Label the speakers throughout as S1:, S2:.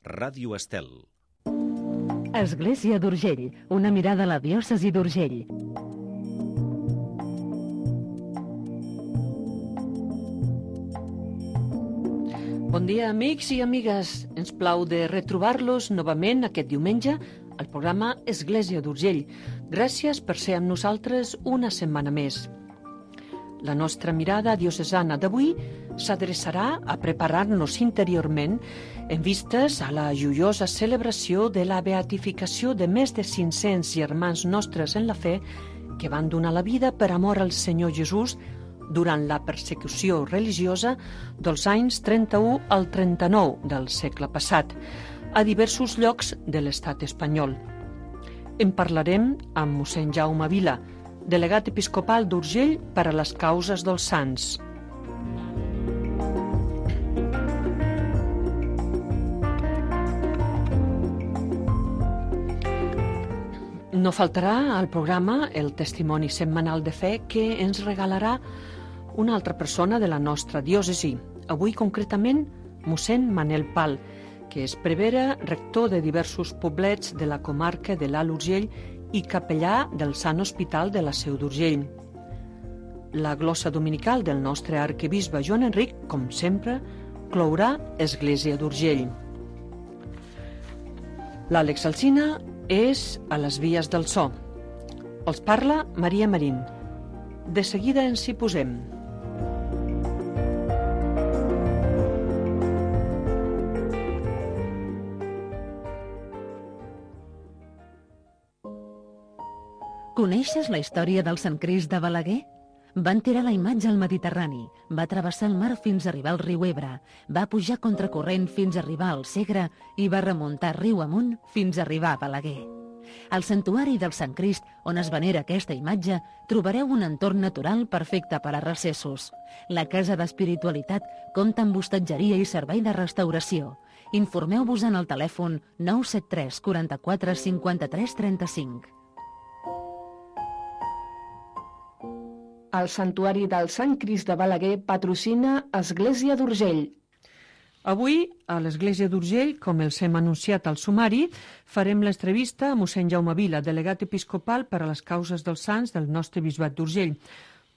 S1: Ràdio Estel.
S2: Església d'Urgell, una mirada a la diòcesi d'Urgell. Bon dia, amics i amigues. Ens plau de retrobar-los novament aquest diumenge al programa Església d'Urgell. Gràcies per ser amb nosaltres una setmana més. La nostra mirada diocesana d'avui s'adreçarà a preparar-nos interiorment en vistes a la joiosa celebració de la beatificació de més de 500 germans nostres en la fe que van donar la vida per amor al Senyor Jesús durant la persecució religiosa dels anys 31 al 39 del segle passat, a diversos llocs de l'estat espanyol. En parlarem amb mossèn Jaume Vila, delegat episcopal d'Urgell per a les causes dels sants. No faltarà al programa el testimoni setmanal de fe que ens regalarà una altra persona de la nostra diòcesi, avui concretament mossèn Manel Pal, que és prevere, rector de diversos poblets de la comarca de l'Alt Urgell i capellà del Sant Hospital de la Seu d'Urgell. La glossa dominical del nostre arquebisbe Joan Enric, com sempre, clourà Església d'Urgell. L'Àlex Alsina és a les vies del so. Els parla Maria Marín. De seguida ens hi posem. Coneixes la història del Sant Crist de Balaguer? Van tirar la imatge al Mediterrani, va travessar el mar fins a arribar al riu Ebre, va pujar contracorrent fins a arribar al Segre i va remuntar riu amunt fins a arribar a Balaguer. Al santuari del Sant Crist, on es venera aquesta imatge, trobareu un entorn natural perfecte per a recessos. La Casa d'Espiritualitat compta amb hostatgeria i servei de restauració. Informeu-vos en el telèfon 973 44 53 35.
S3: El Santuari del Sant Crist de Balaguer patrocina Església d'Urgell.
S2: Avui, a l'Església d'Urgell, com els hem anunciat al sumari, farem l'entrevista a mossèn Jaume Vila, delegat episcopal per a les causes dels sants del nostre bisbat d'Urgell,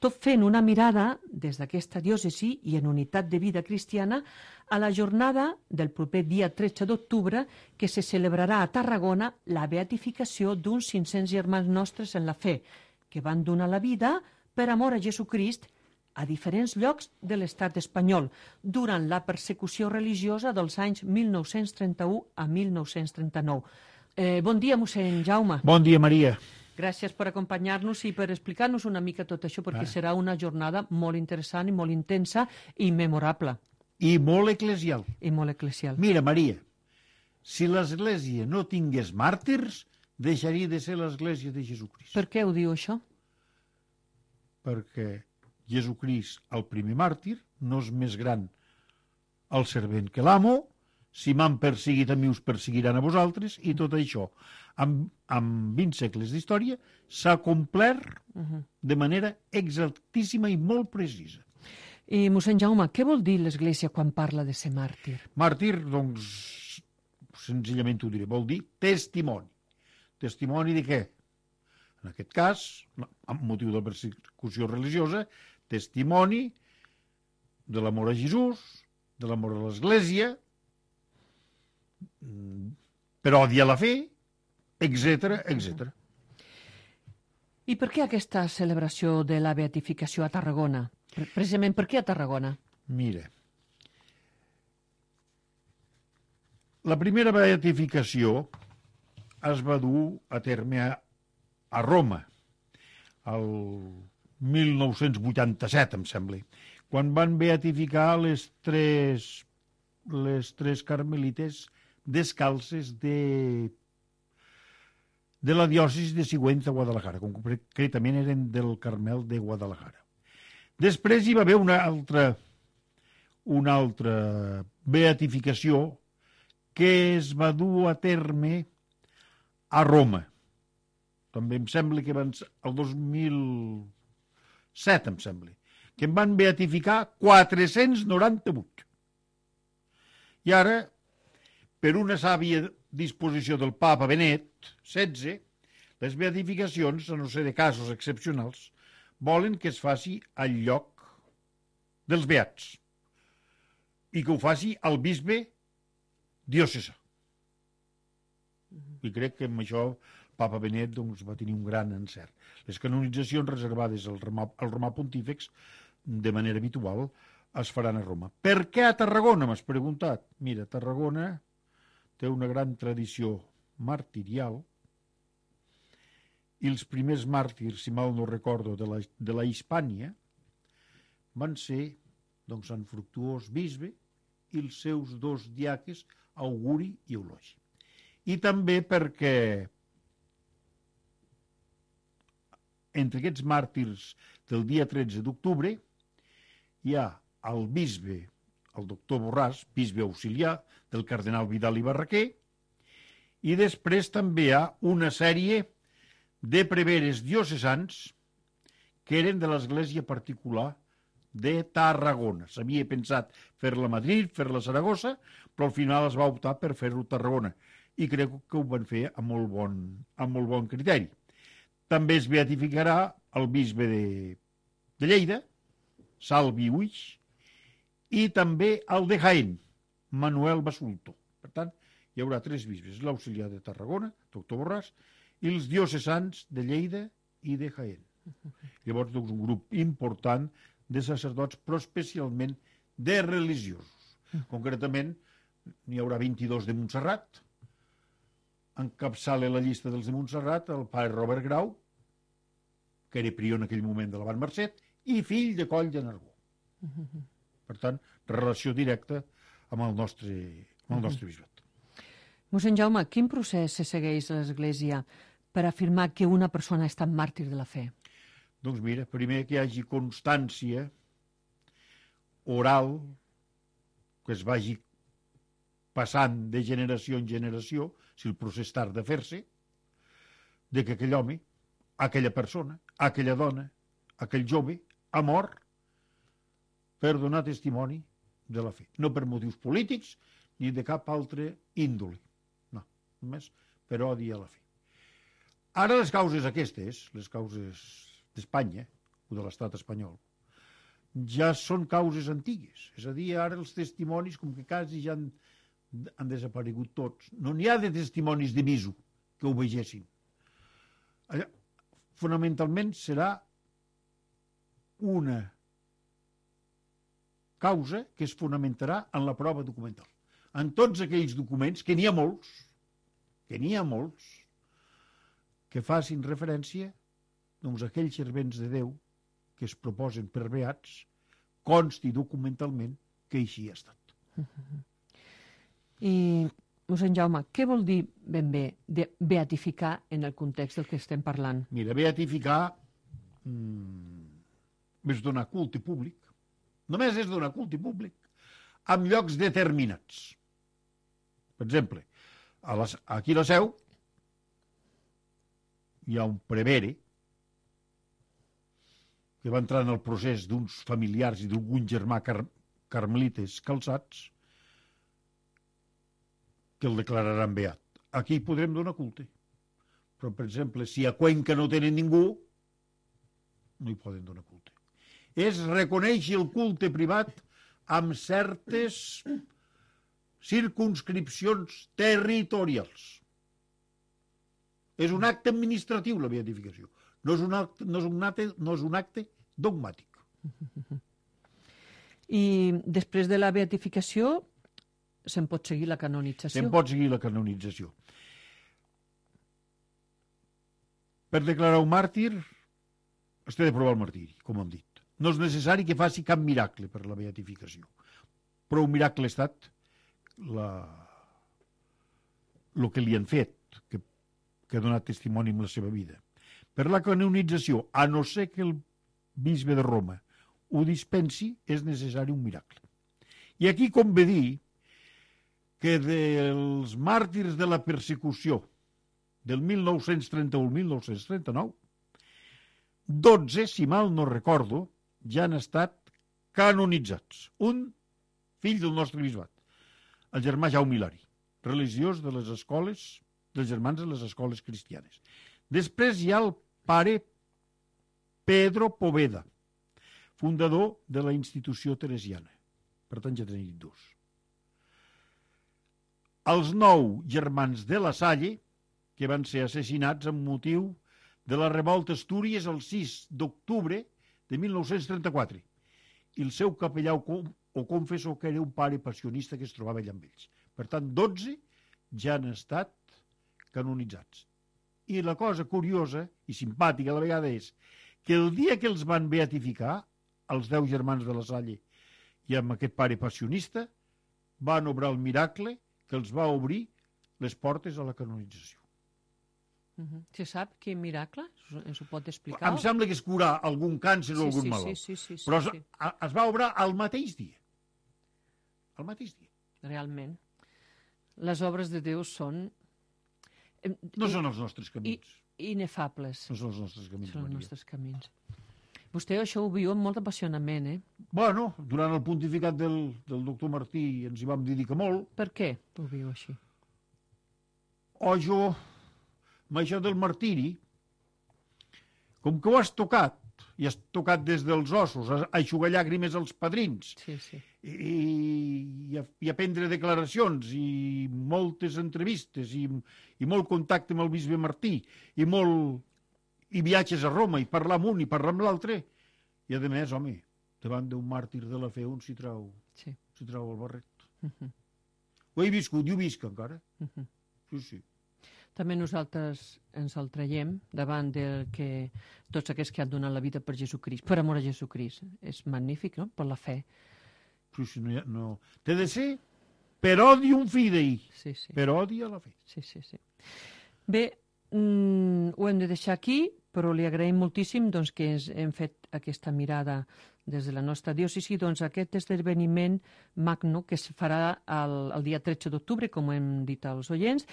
S2: tot fent una mirada des d'aquesta diòcesi i en unitat de vida cristiana a la jornada del proper dia 13 d'octubre que se celebrarà a Tarragona la beatificació d'uns 500 germans nostres en la fe, que van donar la vida per amor a Jesucrist a diferents llocs de l'estat espanyol durant la persecució religiosa dels anys 1931 a 1939. Bon dia, mossèn Jaume.
S4: Bon dia, Maria.
S2: Gràcies per acompanyar-nos i per explicar-nos una mica tot això, perquè serà una jornada molt interessant i molt intensa i memorable.
S4: I molt eclesial.
S2: I molt eclesial.
S4: Mira, Maria, si l'Església no tingués màrtirs, deixaria de ser l'Església de Jesucrist.
S2: Per què ho diu això?
S4: Perquè Jesucrist, el primer màrtir, no és més gran el servent que l'amo. Si m'han perseguit a mi, us perseguiran a vosaltres, i tot això, amb 20 segles d'història, s'ha complert de manera exaltíssima i molt precisa.
S2: I, mossèn Jaume, què vol dir l'Església quan parla de ser màrtir?
S4: Màrtir, doncs, senzillament ho diré, vol dir testimoni. Testimoni de què? En aquest cas, amb motiu de la persecució religiosa, testimoni de l'amor a Jesús, de l'amor a l'Església, per odi a la fe, etc., etc.
S2: I per què aquesta celebració de la beatificació a Tarragona? Precisament per què a Tarragona?
S4: Mira, la primera beatificació es va dur a terme a Roma, el 1987, em sembla, quan van beatificar les tres carmelites descalces de la diòcesi de Sigüenza, Guadalajara, concretament eren del Carmel de Guadalajara. Després hi va haver una altra beatificació que es va dur a terme a Roma. També em sembla que el 2007, em sembla, que en van beatificar 498. I ara, per una sàvia disposició del papa Benet XVI, les beatificacions, a no ser de casos excepcionals, volen que es faci al lloc dels beats i que ho faci el bisbe diocesà. I crec que amb això papa Benet doncs, va tenir un gran encert. Les canonitzacions reservades al romà pontífex, de manera habitual, es faran a Roma. Per què a Tarragona, m'has preguntat? Mira, Tarragona té una gran tradició martirial i els primers màrtirs, si mal no recordo, de la Hispània van ser doncs, Sant Fructuós bisbe i els seus dos diaques, Auguri i Eulogi. I també perquè entre aquests màrtirs del dia 13 d'octubre hi ha el bisbe, el doctor Borràs, bisbe auxiliar del cardenal Vidal i Barraquer, i després també hi ha una sèrie de preveres diocesans que eren de l'església particular de Tarragona. S'havia pensat fer-la a Madrid, fer-la a Saragossa, però al final es va optar per fer-ho a Tarragona i crec que ho van fer amb molt bon criteri. També es beatificarà el bisbe de Lleida, Salvi Uix, i també el de Jaén, Manuel Basulto. Per tant, hi haurà 3 bisbes, l'auxiliar de Tarragona, doctor Borràs, i els diocesans de Lleida i de Jaén. Llavors, doncs, un grup important de sacerdots, però especialment de religiosos. Concretament, n'hi haurà 22 de Montserrat. Encapçala la llista dels de Montserrat el pare Robert Grau, que era prior en aquell moment de la Van Marcet, i fill de Coll de Nargó. Per tant, relació directa amb el nostre bisbat.
S2: Mossèn Jaume, quin procés se segueix a l'Església per afirmar que una persona ha estat màrtir de la fe?
S4: Doncs mira, primer que hi hagi constància oral, que es vagi passant de generació en generació, si el procés tarda a fer-se, de que aquell home, aquella persona, aquella dona, aquell jove, ha mort per donar testimoni de la fe. No per motius polítics ni de cap altre índole. No, només per odi a la fe. Ara les causes aquestes, les causes d'Espanya o de l'estat espanyol, ja són causes antigues. És a dir, ara els testimonis, com que quasi ja han desaparegut tots, no n'hi ha de testimonis de visu que ho vegessin. Allà, fonamentalment serà una causa que es fonamentarà en la prova documental. En tots aquells documents, que n'hi ha molts, que facin referència doncs, a aquells servents de Déu que es proposen per beats, consti documentalment que així ha estat.
S2: I, mossèn Jaume, què vol dir ben bé de beatificar en el context del que estem parlant?
S4: Mira, beatificar és donar culte públic. Només és donar culte públic en llocs determinats. Per exemple, aquí a la Seu hi ha un prevere que va entrar en el procés d'uns familiars i d'algun germà carmelites calçats que el declararan beat. Aquí podrem donar culte. Però, per exemple, si a Cuenca no tenen ningú, no hi poden donar culte. És reconèixer el culte privat amb certes circumscripcions territorials. És un acte administratiu, la beatificació. No és un acte dogmàtic.
S2: I després de la beatificació se'n pot seguir la canonització?
S4: Se'n pot seguir la canonització. Per declarar un màrtir es té de provar el martiri, com hem dit. No és necessari que faci cap miracle per la beatificació. Però un miracle ha estat el que li han fet, que ha donat testimoni amb la seva vida. Per la canonització, a no ser que el bisbe de Roma ho dispensi, és necessari un miracle. I aquí convé dir que dels màrtirs de la persecució del 1931 al 1939, 12, si mal no recordo, ja han estat canonitzats. Un fill del nostre bisbat, el germà Jaume Hilari, religiós de les escoles, dels germans de les escoles cristianes. Després hi ha el pare Pedro Poveda, fundador de la institució teresiana. Per tant, ja tenim dos. Els 9 germans de la Salle, que van ser assassinats amb motiu de la revolta Astúries el 6 d'octubre de 1934. I el seu capellà o confessor, que era un pare passionista que es trobava allà amb ells. Per tant, 12 ja han estat canonitzats. I la cosa curiosa i simpàtica a la vegada és que el dia que els van beatificar, els 10 germans de la Salle i amb aquest pare passionista, van obrar el miracle que els va obrir les portes a la canonització.
S2: Se sap quin miracle? Ens ho pot explicar?
S4: Em sembla que és curar algun càncer o algun malalt.
S2: Sí,
S4: però es va obrar al mateix dia. Al mateix dia.
S2: Realment. Les obres de Déu són...
S4: No són els nostres camins.
S2: Inefables.
S4: No són els nostres camins,
S2: Són els
S4: Maria.
S2: nostres camins. Vostè això ho viu amb molt apassionament,
S4: Bueno, durant el pontificat del doctor Martí ens hi vam dedicar molt.
S2: Per què ho viu així?
S4: Jo, amb això del martiri, com que ho has tocat, i has tocat des dels ossos, a eixugar llàgrimes als padrins,
S2: Sí.
S4: i a prendre declaracions, i moltes entrevistes, i molt contacte amb el bisbe Martí, i viatges a Roma, i parlar amb un i parlar amb l'altre, i a més, home, davant d'un màrtir de la fe un s'hi trau el barret. Ho he viscut i ho visc encara. Sí.
S2: També nosaltres ens el traiem davant del que tots aquests que han donat la vida per Jesucrist, per amor a Jesucrist. És magnífic, no?, per la fe.
S4: Sí, no. Té de ser per odium fidei,
S2: Sí.
S4: per odi a la fe.
S2: Sí. Bé, ho hem de deixar aquí, però li agraïm moltíssim doncs, que hem fet aquesta mirada des de la nostra diòcesi, doncs aquest esdeveniment magno que es farà el dia 13 d'octubre, com hem dit als oients,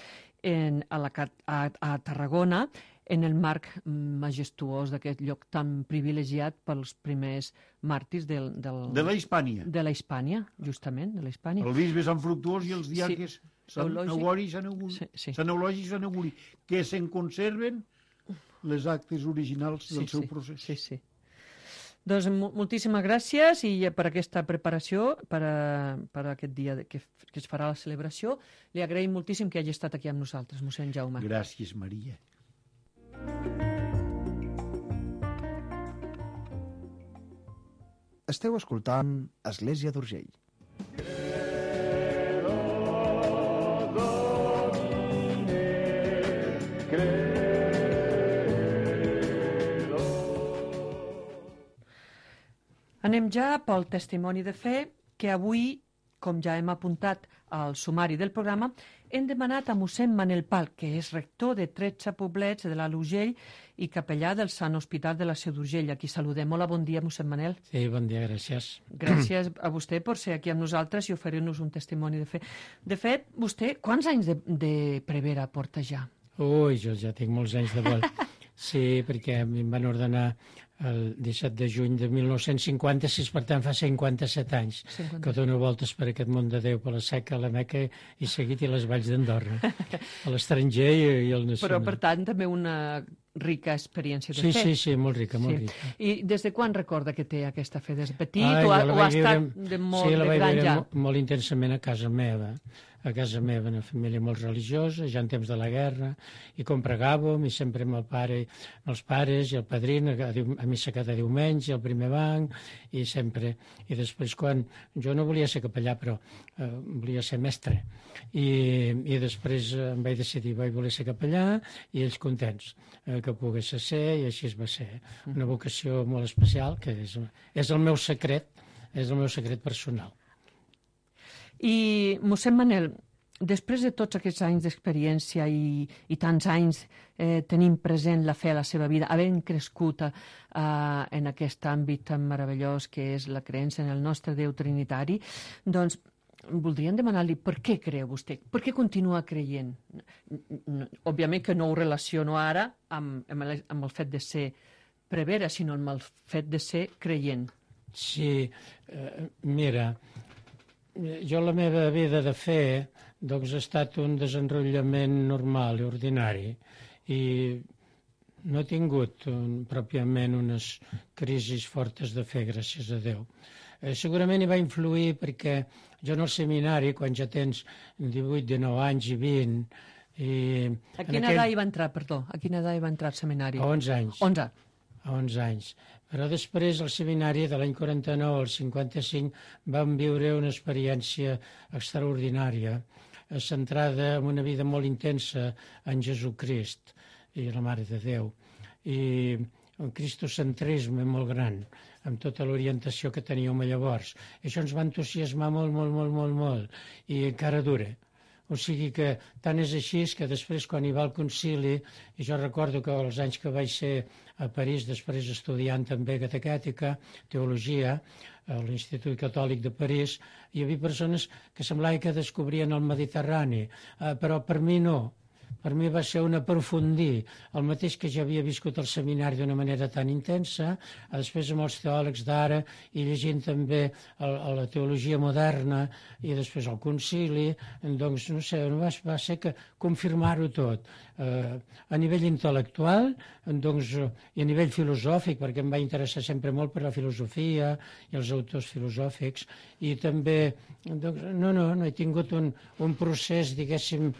S2: a Tarragona, en el marc majestuós d'aquest lloc tan privilegiat pels primers màrtirs de
S4: la Hispània.
S2: De la Hispània, justament, de la Hispània.
S4: El bisbe Sant Fructuós i els diaques Sant Eulogis i Sant Euguri, que se'n conserven les actes originals del seu procés.
S2: Sí. Doncs moltíssimes gràcies i per aquesta preparació, per aquest dia que es farà la celebració. Li agraïm moltíssim que hagi estat aquí amb nosaltres, mossèn Jaume.
S4: Gràcies, Maria.
S1: Esteu escoltant Església d'Urgell.
S2: Anem ja pel testimoni de fe que avui, com ja hem apuntat al sumari del programa, hem demanat a mossèn Manel Pal, que és rector de 13 poblets de l'Alt Urgell i capellà del Sant Hospital de la Seu d'Urgell. Aquí saludem. Hola, bon dia, mossèn Manel.
S5: Sí, bon dia, gràcies.
S2: Gràcies a vostè per ser aquí amb nosaltres i oferir-nos un testimoni de fe. De fet, vostè, quants anys de prevera porta ja?
S5: Ui, jo ja tinc molts anys de vol. Sí, perquè a mi em van ordenar el 17 de juny de 1956, per tant fa 57 anys que dono voltes per aquest món de Déu, per la Seca, la Meca i seguit i les valls d'Andorra, a l'estranger i al nacional.
S2: Però, per tant, també una rica experiència de fe.
S5: Sí, molt rica, molt rica.
S2: I des de quan recorda que té aquesta fe? Des de petit o ha estat de molt de gran ja?
S5: Sí, la vaig viure molt intensament a casa meva, una família molt religiosa, ja en temps de la guerra, i com pregàvem, i sempre amb el pare, els pares i el padrín, a missa cada diumenge, al primer banc, i sempre. I després, quan jo no volia ser capellà, però volia ser mestre, i després em vaig decidir, vaig voler ser capellà, i ells contents que pogués ser, i així es va ser. Una vocació molt especial, que és el meu secret personal.
S2: I, mossèn Manel, després de tots aquests anys d'experiència i tants anys tenint present la fe a la seva vida, havent crescut en aquest àmbit tan meravellós que és la creença en el nostre Déu Trinitari, doncs voldríem demanar-li per què creu vostè, per què continua creient? Òbviament que no ho relaciono ara amb el fet de ser prevera, sinó amb el fet de ser creient.
S5: Sí, mira, jo la meva vida de fe Doncs ha estat un desenrotllament normal i ordinari i no he tingut pròpiament unes crisis fortes de fe, gràcies a Déu. Segurament hi va influir perquè jo en el seminari, quan ja tens 18, 19 anys i 20...
S2: A quina edat hi va entrar, perdó? A quina edat hi va entrar al seminari?
S5: A 11 anys.
S2: 11.
S5: A 11 anys. Però després, al seminari, de l'any 49 al 55, vam viure una experiència extraordinària, centrada en una vida molt intensa en Jesucrist i la Mare de Déu, i un cristocentrisme molt gran, amb tota l'orientació que teníem llavors. Això ens va entusiasmar molt, i encara dura. O sigui que tant és així que després, quan hi va al concili, i jo recordo que els anys que vaig ser a París, després estudiant també catequètica, teologia, a l'Institut Catòlic de París, hi havia persones que semblava que descobrien el Mediterrani, però per mi no. Per mi va ser un aprofundir, el mateix que ja havia viscut al seminari d'una manera tan intensa, després amb els teòlegs d'ara i llegint també la teologia moderna i després el concili, doncs no sé, va ser que confirmar-ho tot. A nivell intel·lectual, doncs, i a nivell filosòfic, perquè em va interessar sempre molt per la filosofia i els autors filosòfics, i també, doncs, no he tingut un procés, diguéssim,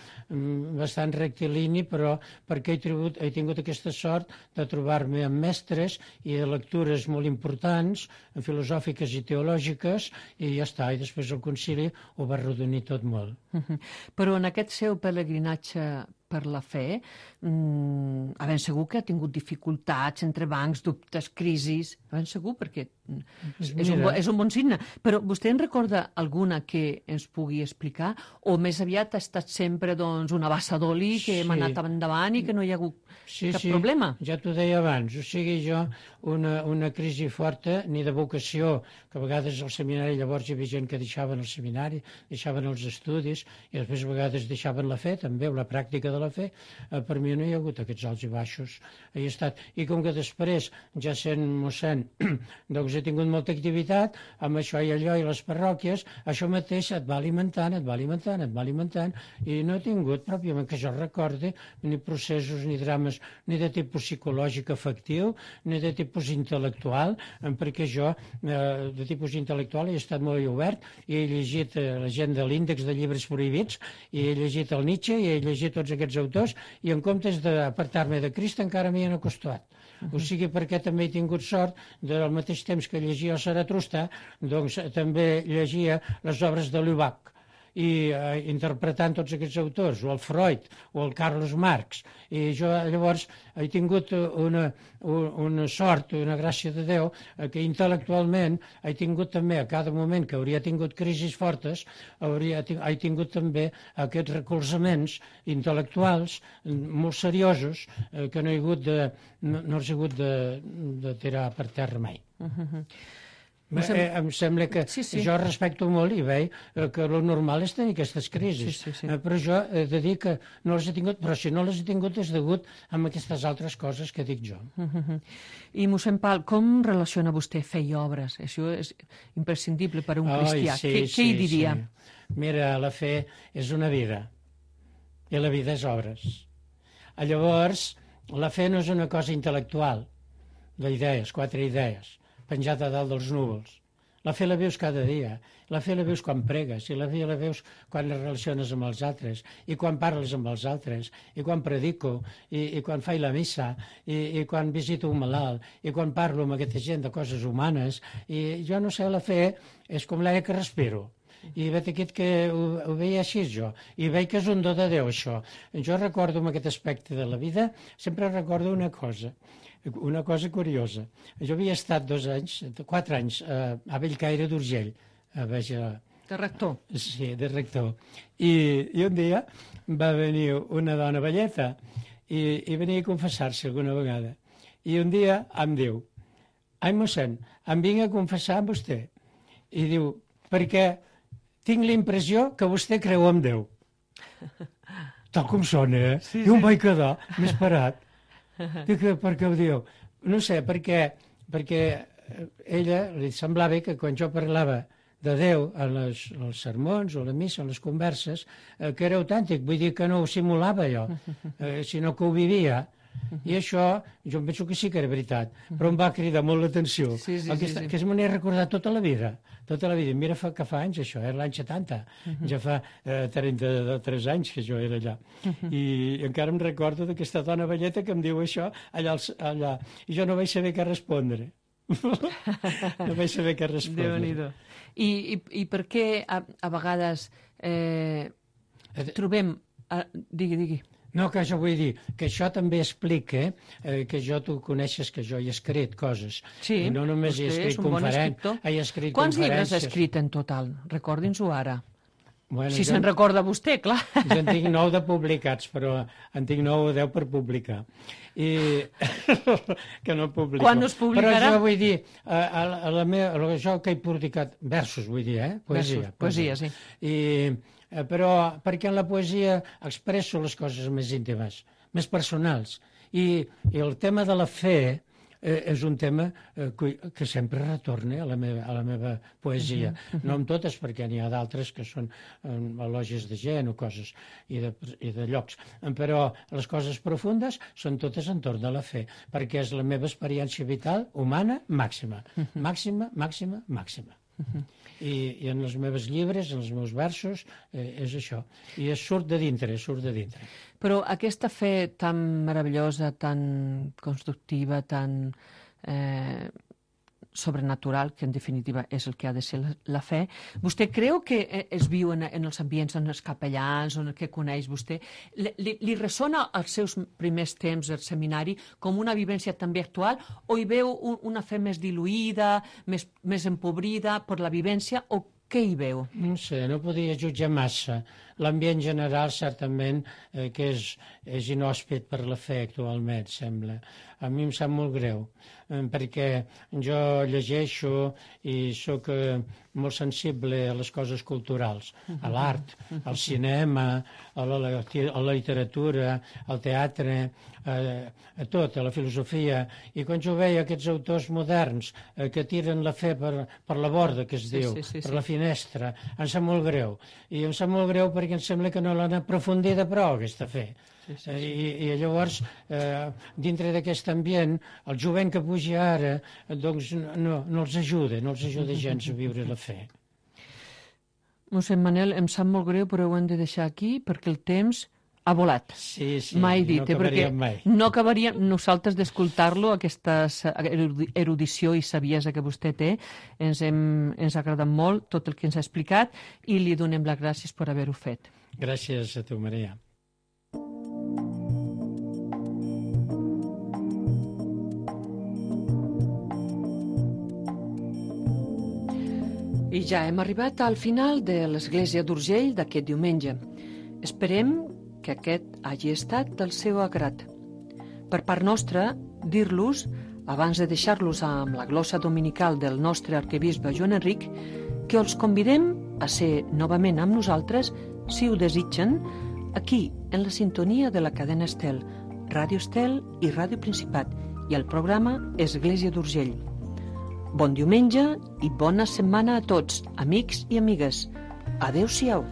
S5: bastant rectilini, però perquè he tingut aquesta sort de trobar-me amb mestres i de lectures molt importants, filosòfiques i teològiques, i ja està, i després el concili ho va arrodonir tot molt.
S2: Però en aquest seu pelegrinatge per la fe, ben segur que ha tingut dificultats, entrebancs, dubtes, crisis, ben segur, perquè és un bon signe. Però vostè en recorda alguna que ens pugui explicar? O més aviat ha estat sempre una bassa d'oli que hem anat endavant i que no hi ha hagut cap problema?
S5: Ja t'ho deia abans, o sigui jo una crisi forta, ni de vocació, que a vegades al seminari llavors hi havia gent que deixaven el seminari, deixaven els estudis i després a vegades deixaven la fe també, o la pràctica de la fe. Per mi no hi ha hagut aquests alts i baixos. He estat. I com que després, ja sent mossèn, doncs he tingut molta activitat amb això i allò i les parròquies, això mateix et va alimentant, i no he tingut, pròpiament que jo recordi, ni processos ni drames ni de tipus psicològic afectiu, ni de tipus intel·lectual, perquè jo de tipus intel·lectual he estat molt obert i he llegit la gent de l'índex de llibres prohibits, i he llegit el Nietzsche i he llegit tots aquests autors, i en comptes d'apartar-me de Crist encara m'hi han acostat. O sigui, perquè també he tingut sort, del mateix temps que llegia el Zaratustra, doncs també llegia les obres de Lubac, i interpretant tots aquests autors, o el Freud, o el Carlos Marx. I jo llavors he tingut una sort, una gràcia de Déu, que intel·lectualment he tingut també, a cada moment que hauria tingut crisis fortes, he tingut també aquests recolzaments intel·lectuals molt seriosos que no he hagut de tirar per terra mai. Em sembla que jo respecto molt i veig que el normal és tenir aquestes crisis, però jo he de dir que no les he tingut, però si no les he tingut és degut a aquestes altres coses que dic jo.
S2: I mossèn Pal, com relaciona vostè fe i obres? Això és imprescindible per a un cristià. Què hi diria?
S5: Mira, la fe és una vida i la vida és obres. Llavors, la fe no és una cosa intel·lectual, d'idees, 4 idees, penjat a dalt dels núvols. La fe la veus cada dia, la fe la veus quan pregues, i la fe la veus quan et relaciones amb els altres, i quan parles amb els altres, i quan predico, i quan faig la missa, i quan visito un malalt, i quan parlo amb aquesta gent de coses humanes. I jo no sé, la fe és com l'aire que respiro. I veig aquest que ho veia així jo, i veig que és un do de Déu això. Jo recordo en aquest aspecte de la vida, sempre recordo una cosa curiosa. Jo havia estat 4 anys a Bellcaire d'Urgell,
S2: de rector.
S5: Sí, de rector. I un dia va venir una dona velleta i venia a confessar-se alguna vegada. I un dia em diu: ai, mossèn, em vinc a confessar amb vostè. I diu: perquè tinc la impressió que vostè creu en Déu. Tal com sona, I em vaig quedar més parat. Dic, per què ho diu? No sé, perquè ella li semblava que quan jo parlava de Déu als sermons o a la missa, a les converses, que era autèntic, vull dir que no ho simulava jo, sinó que ho vivia. I això, jo em penso que sí que era veritat, però em va cridar molt l'atenció, que me n'he recordat tota la vida. Mira que fa anys això, era l'any 70, ja fa 33 anys que jo era allà. I encara em recordo d'aquesta dona velleta que em diu això allà, i jo no vaig saber què respondre. No vaig saber què respondre.
S2: Déu-n'hi-do. I per què a vegades trobem... Digui.
S5: No, que jo vull dir que això també explica que tu coneixes que jo he escrit coses.
S2: Sí,
S5: i no només he escrit conferències.
S2: Quants llibres ha escrit en total? Recordin-s'ho ara.
S5: Bueno,
S2: si se'n recorda vostè, clar.
S5: Jo en tinc 9 de publicats, però en tinc 9 o 10 per publicar. I que no publico.
S2: Quan us publicarà?
S5: Però jo vull dir, jo que he publicat versos, vull dir,
S2: Poesia, sí.
S5: Però perquè en la poesia expresso les coses més íntimes, més personals. I el tema de la fe és un tema que sempre retorna a la meva poesia. No amb totes, perquè n'hi ha d'altres que són elogis de gent o coses i de llocs. Però les coses profundes són totes entorn de la fe, perquè és la meva experiència vital humana màxima. Màxima. I en els meus llibres, en els meus versos, és això. I surt de dintre.
S2: Però aquesta fe tan meravellosa, tan constructiva, tan sobrenatural, que en definitiva és el que ha de ser la fe, vostè creu que es viu en els ambients, en els capellans, en el que coneix vostè? Li ressona als seus primers temps al seminari com una vivència també actual, o hi veu una fe més diluïda, més empobrida per la vivència, o què hi veu?
S5: No sé, no podia jutjar massa. L'ambient general, certament, que és inhòspit per la fe actualment, sembla. A mi em sap molt greu, perquè jo llegeixo i sóc molt sensible a les coses culturals, a l'art, al cinema, a la literatura, al teatre, a tot, a la filosofia. I quan jo veia aquests autors moderns que tiren la fe per la borda, que es diu, per la finestra, em sap molt greu. I em sap molt greu perquè em sembla que no l'han aprofundida prou, aquesta fe. I llavors, dintre d'aquest ambient, el jovent que puja ara, doncs no els ajuda gens a viure la fe.
S2: Mossèn Manel, em sap molt greu, però ho hem de deixar aquí, perquè el temps ha volat.
S5: Sí,
S2: mai dit,
S5: no acabaríem mai.
S2: No acabaríem nosaltres d'escoltar-lo, aquesta erudició i saviesa que vostè té. Ens ha agradat molt tot el que ens ha explicat i li donem les gràcies per haver-ho fet.
S5: Gràcies a tu, Maria.
S2: I ja hem arribat al final de l'Església d'Urgell d'aquest diumenge. Esperem que aquest hagi estat del seu agrat. Per part nostra, dir-los, abans de deixar-los amb la glossa dominical del nostre arquebisbe Joan Enric, que els convidem a ser novament amb nosaltres, si ho desitgen, aquí, en la sintonia de la cadena Estel, Ràdio Estel i Ràdio Principat, i el programa Església d'Urgell. Bon diumenge i bona setmana a tots, amics i amigues. Adéu-siau.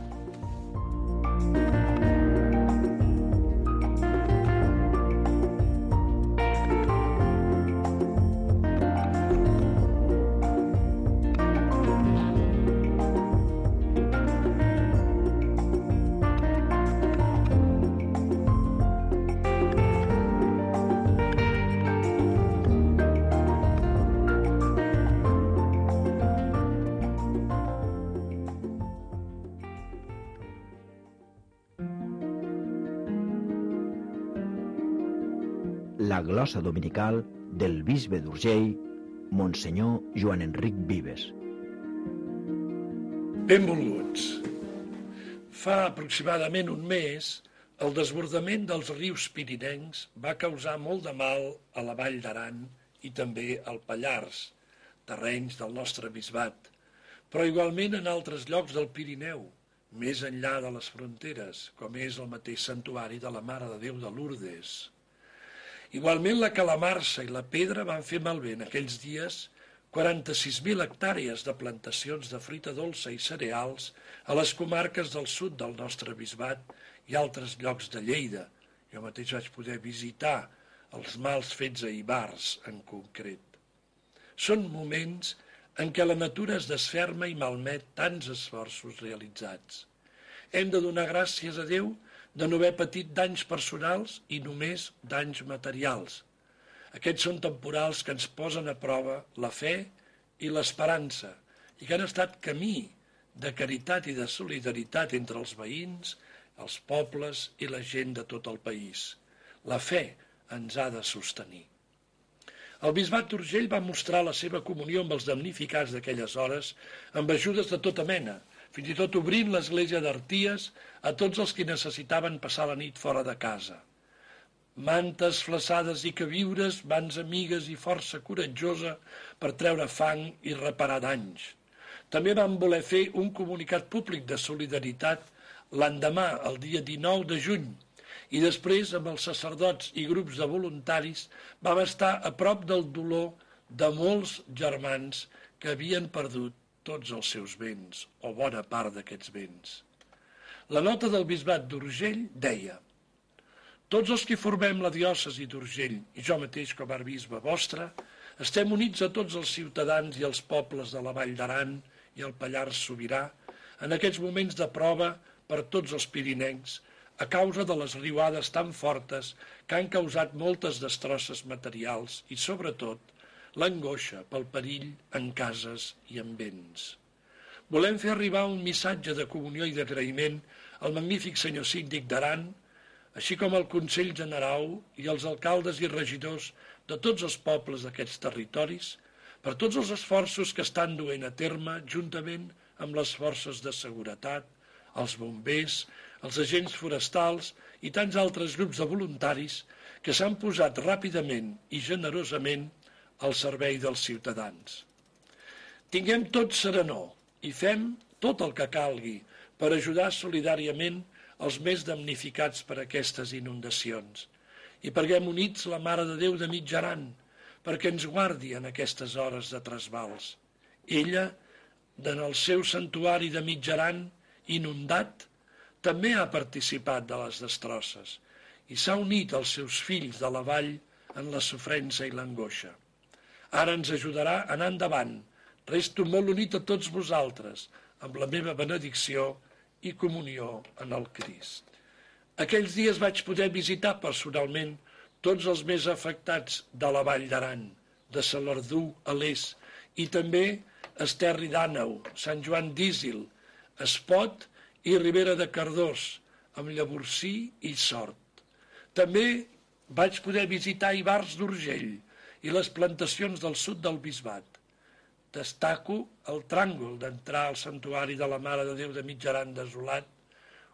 S1: La glossa dominical del bisbe d'Urgell, Monsenyor Joan Enric Vives.
S6: Benvolguts. Fa aproximadament un mes, el desbordament dels rius pirinencs va causar molt de mal a la Vall d'Aran i també al Pallars, terrenys del nostre bisbat, però igualment en altres llocs del Pirineu, més enllà de les fronteres, com és el mateix santuari de la Mare de Déu de Lourdes. Igualment la calamarsa i la pedra van fer malbé en aquells dies 46.000 hectàrees de plantacions de fruita dolça i cereals a les comarques del sud del nostre bisbat i altres llocs de Lleida. Jo mateix vaig poder visitar els mals fets a Ivars, en concret. Són moments en què la natura es desferma i malmet tants esforços realitzats. Hem de donar gràcies a Déu de no haver patit danys personals i només danys materials. Aquests són temporals que ens posen a prova la fe i l'esperança i que han estat camí de caritat i de solidaritat entre els veïns, els pobles i la gent de tot el país. La fe ens ha de sostenir. El bisbat d'Urgell va mostrar la seva comunió amb els damnificats d'aquelles hores amb ajudes de tota mena, fins i tot obrint l'església d'Arties a tots els que necessitaven passar la nit fora de casa. Mantes, flaçades i queviures, mans amigues i força coratjosa per treure fang i reparar danys. També vam voler fer un comunicat públic de solidaritat l'endemà, el dia 19 de juny, i després, amb els sacerdots i grups de voluntaris, vam estar a prop del dolor de molts germans que havien perdut tots els seus béns, o bona part d'aquests béns. La nota del bisbat d'Urgell deia: tots els que formem la diòcesi d'Urgell, i jo mateix com a bisbe vostre, estem units a tots els ciutadans i els pobles de la Vall d'Aran i el Pallars Sobirà en aquests moments de prova per tots els pirinencs a causa de les riuades tan fortes que han causat moltes destrosses materials i, sobretot, l'angoixa pel perill en cases i en béns. Volem fer arribar un missatge de comunió i d'agraïment al magnífic senyor síndic d'Aran, així com al Consell General i als alcaldes i regidors de tots els pobles d'aquests territoris, per tots els esforços que estan duent a terme juntament amb les forces de seguretat, els bombers, els agents forestals i tants altres grups de voluntaris que s'han posat ràpidament i generosament al servei dels ciutadans. Tinguem tots serenor i fem tot el que calgui per ajudar solidàriament els més damnificats per aquestes inundacions i preguem units la Mare de Déu de Mitjaran perquè ens guardi en aquestes hores de trasbals. Ella, en el seu santuari de Mitjaran inundat, també ha participat de les destrosses i s'ha unit als seus fills de la vall en la sofrença i l'angoixa. Ara ens ajudarà a anar endavant. Resto molt unit a tots vosaltres, amb la meva benedicció i comunió en el Crist. Aquells dies vaig poder visitar personalment tots els més afectats de la Vall d'Aran, de Salardú a l'est, i també Esterri d'Àneu, Sant Joan d'Ísil, Espot i Ribera de Cardós, amb Llavorsí i Sort. També vaig poder visitar Ivars d'Urgell i les plantacions del sud del Bisbat. Destaco el tràngol d'entrar al santuari de la Mare de Déu de Mitjaran desolat,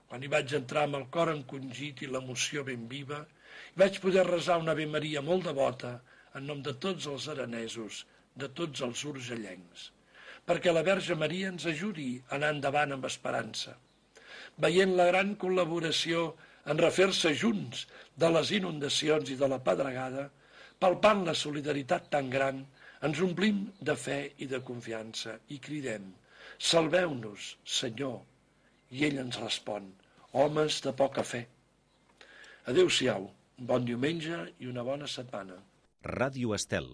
S6: quan hi vaig entrar amb el cor encongit i l'emoció ben viva, i vaig poder resar una Ave Maria molt devota en nom de tots els aranesos, de tots els urgellencs, perquè la Verge Maria ens ajudi a anar endavant amb esperança. Veient la gran col·laboració en refer-se junts de les inundacions i de la pedregada, palpant la solidaritat tan gran, ens omplim de fe i de confiança i cridem: salveu-nos, Senyor. I ell ens respon: homes de poca fe. Adéu-siau, bon diumenge i una bona setmana.
S7: Ràdio Estel,